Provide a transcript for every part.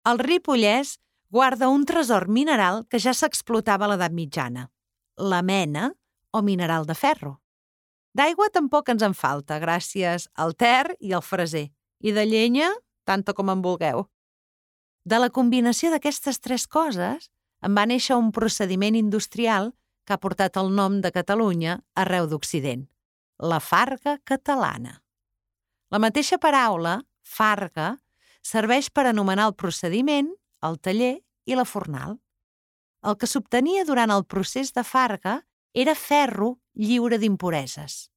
El Ripollès guarda un tresor mineral que ja s'explotava a l'edat mitjana, la mena o mineral de ferro. D'aigua tampoc ens en falta, gràcies al Ter i al Freser, i de llenya, tanta com en vulgueu. De la combinació d'aquestes tres coses en va néixer un procediment industrial que ha portat el nom de Catalunya arreu d'Occident, la farga catalana. La mateixa paraula, farga, serveix per anomenar el procediment, el taller i la fornal. El que s'obtenia durant el procés de farga era ferro lliure d'impureses.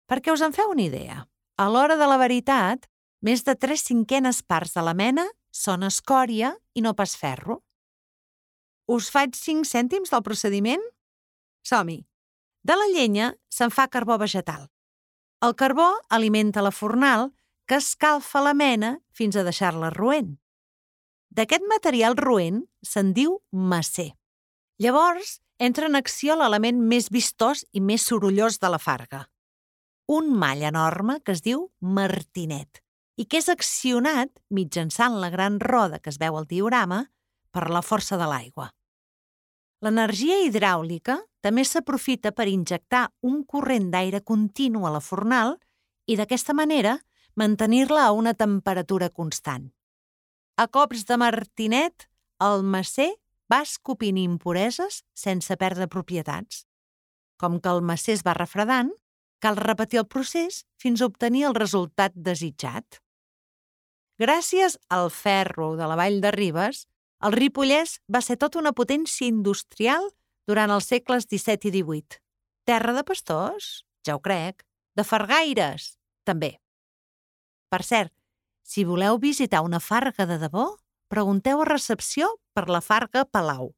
Perquè us en feu una idea, a l'hora de la veritat, més de 3/5 parts de la mena són escòria i no pas ferro. Us faig 5 cèntims del procediment? Som-hi! De la llenya se'n fa carbó vegetal. El carbó alimenta la fornal, que escalfa la mena fins a deixar-la roent. D'aquest material roent se'n diu macer. Llavors entra en acció l'element més vistós i més sorollós de la farga, un mall enorme que es diu martinet i que és accionat mitjançant la gran roda que es veu al diorama per la força de l'aigua. L'energia hidràulica també s'aprofita per injectar un corrent d'aire continu a la fornal i d'aquesta manera mantenir-la a una temperatura constant. A cops de martinet, el macer va escopint impureses sense perdre propietats. Com que el macer es va refredant, cal repetir el procés fins a obtenir el resultat desitjat. Gràcies al ferro de la Vall de Ribes, el Ripollès va ser tota una potència industrial durant els segles XVII i XVIII. Terra de pastors? Ja ho crec. De fargaires? També. Per cert, si voleu visitar una farga de debò, pregunteu a recepció per la Farga Palau.